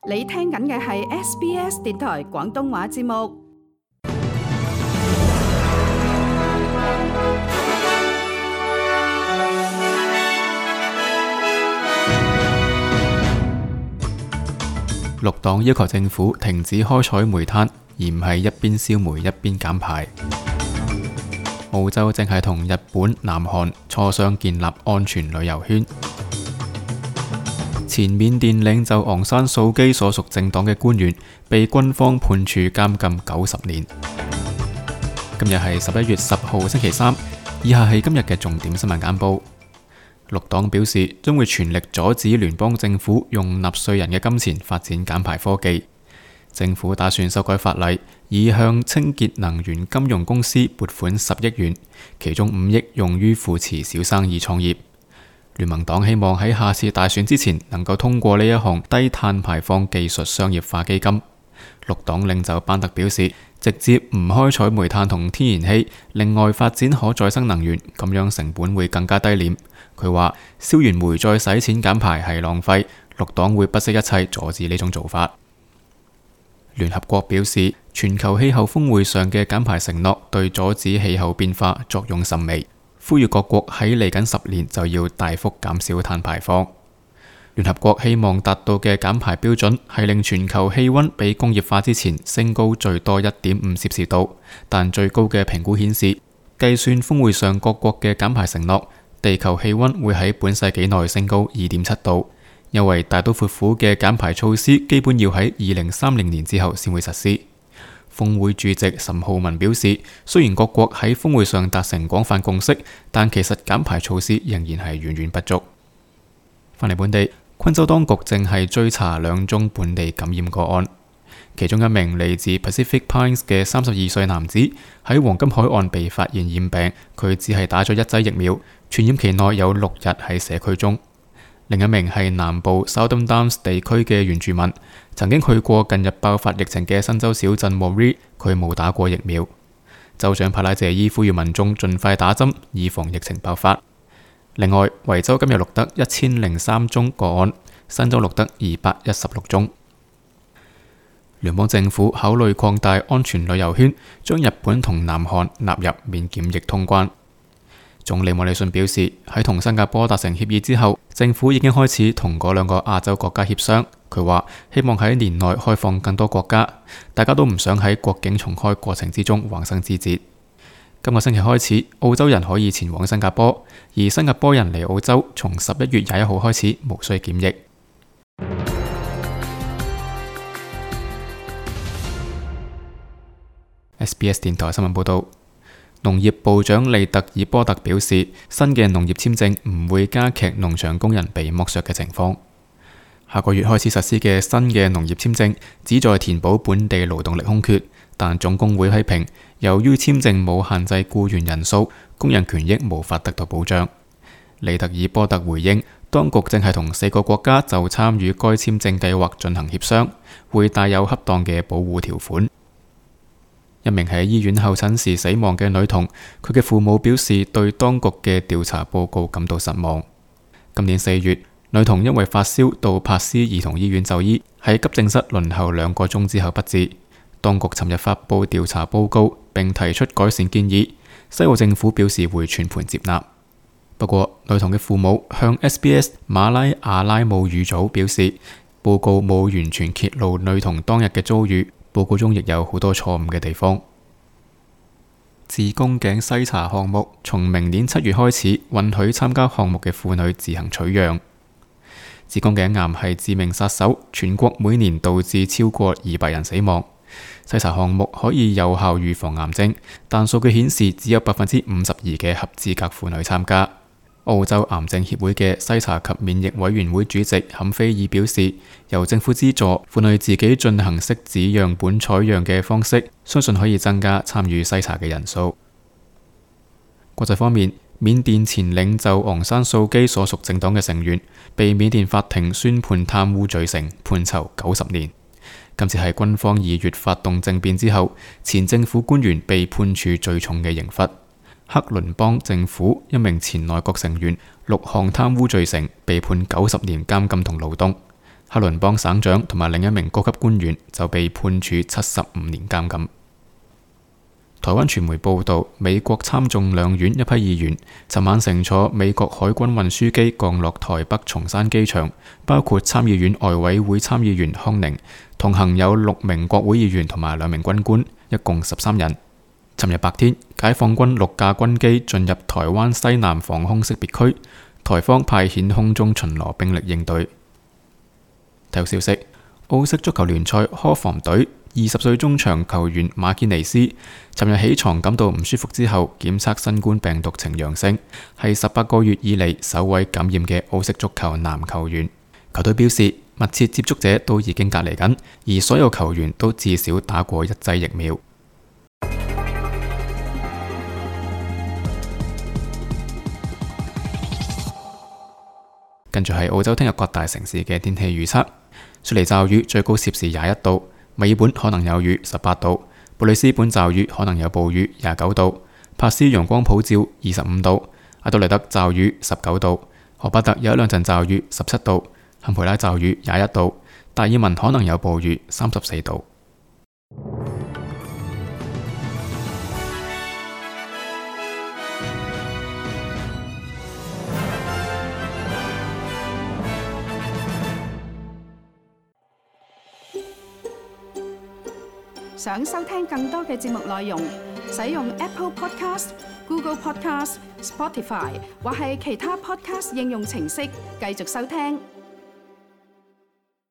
你聽緊嘅係 SBS 電台廣東話節目。綠黨要求政府停止開採煤炭，而唔係一邊燒煤一邊減排。澳洲正係同日本、南韓磋商建立安全旅遊圈。前緬甸領袖昂山素基所屬政黨嘅官員被軍方判處監禁90年。今日係11月10號星期三，以下係今日嘅重點新聞簡報。綠黨表示將會全力阻止聯邦政府用納稅人嘅金錢發展減排科技。政府打算修改法例，以向清潔能源金融公司撥款10億元，其中5億用於扶持小生意創業。聯盟黨希望喺下次大選之前能夠通過呢一項低碳排放技術商業化基金。綠黨領袖班特表示，直接唔開採煤炭同天然氣，另外發展可再生能源，咁樣成本會更加低廉。佢話燒完煤再使錢減排係浪費，綠黨會不惜一切阻止呢種做法。聯合國表示，全球氣候峰會上嘅減排承諾對阻止氣候變化作用甚微，呼籲各國喺嚟緊10年就要大幅減少碳排放。聯合國希望達到嘅減排標準係令全球氣溫比工業化之前升高最多1.5攝氏度，但最高嘅評估顯示，計算峰會上各國嘅減排承諾，地球氣溫會喺本世紀內升高2.7度，因為大刀闊斧嘅減排措施基本要喺2030年之後先會實施。峰會主席岑浩文表示，雖然各國喺峰會上達成廣泛共識，但其實減排措施仍然係遠遠不足。返嚟本地，昆州當局正係追查2宗本地感染個案，其中一名嚟自 Pacific Pines 嘅32歲男子喺黃金海岸被發現染病，佢只係打咗1劑疫苗，傳染期內有6日喺社區中。另一名係南部 Southern Downs 地區嘅原住民，曾經去過近日爆發疫情嘅新州小鎮 Moree， 佢冇打過疫苗。州長帕拉謝伊呼籲民眾盡快打針，以防疫情爆發。另外，維州今日錄得1003宗個案，新州錄得216宗。聯邦政府考慮擴大安全旅遊圈，將日本同南韓納入免檢疫通關。總理莫里遜表示，喺同新加坡達成協議之後，政府已經開始同嗰2個亞洲國家協商。佢話希望喺年內開放更多國家，大家都唔想喺國境重開過程之中橫生枝節。今個星期開始，澳洲人可以前往新加坡，而新加坡人嚟澳洲從11月21號開始無需檢疫。SBS 電台新聞報道，農業部長利特爾波特表示，新嘅農業簽證唔會加劇農場工人被剝削嘅情況。下個月開始實施嘅新嘅農業簽證旨在填補本地勞動力空缺，但總工會批評，由於簽證冇限制僱員人數，工人權益無法得到保障。利特爾波特回應，當局正係同4個國家就參與該簽證計劃進行協商，會帶有恰當嘅保護條款。一名喺醫院候診時死亡嘅女童，佢嘅父母表示對當局嘅調查報告感到失望。今年4月，女童因為發燒到柏斯兒童醫院就醫，喺急症室輪候2個鐘之後不治。當局尋日發布調查報告並提出改善建議，西澳政府表示會全盤接納。不過，女童嘅父母向 SBS 馬拉阿拉姆語組表示，報告冇完全揭露女童當日嘅遭遇，報告中亦有好多錯誤嘅地方。子宮頸篩查項目從明年7月開始允許參加項目嘅婦女自行取樣。子宮頸癌係致命殺手，全國每年導致超過200人死亡。篩查項目可以有效預防癌症，但數據顯示只有52%嘅合資格婦女參加。澳洲癌症協會嘅篩查及免疫委員會主席坎菲爾表示，由政府資助婦女自己進行拭子樣本採樣嘅方式，相信可以增加參與篩查嘅人數。國際方面，緬甸前領袖昂山素基所屬政黨嘅成員被緬甸法庭宣判貪污罪成，判囚90年。今次係軍方2月發動政變之後，前政府官員被判處最重嘅刑罰。克倫邦政府一名前內閣成員6項貪污罪成，被判90年監禁同勞動。克倫邦省長同埋另一名高級官員就被判處75年監禁。台灣傳媒報道，美國參眾兩院一批議員尋晚乘坐美國海軍運輸機降落台北松山機場，包括參議院外委會參議員康寧，同行有6名國會議員同埋2名軍官，一共13人。尋日白天，解放軍6架軍機進入台灣西南防空識別區，台方派遣空中巡邏兵力應對。體育消息：澳式足球聯賽科防隊20歲中場球員馬堅尼斯尋日起床感到唔舒服之後，檢測新冠病毒呈陽性，係18個月以嚟首位感染嘅澳式足球男球員。球隊表示，密切接觸者都已經隔離緊，而所有球員都至少打過1劑疫苗。跟住係澳洲聽日各大城市嘅天氣預測：雪梨驟雨，最高攝氏21度；墨爾本可能有雨，18度；布里斯本驟雨可能有暴雨，29度；珀斯陽光普照，25度；阿德萊德驟雨，19度；荷巴特有一兩陣驟雨，17度；坎培拉驟雨21度；達爾文可能有暴雨，34度。想收聽更多嘅節目內容，使用 Apple Podcast、Google Podcast、Spotify 或係其他 Podcast 應用程式繼續收聽。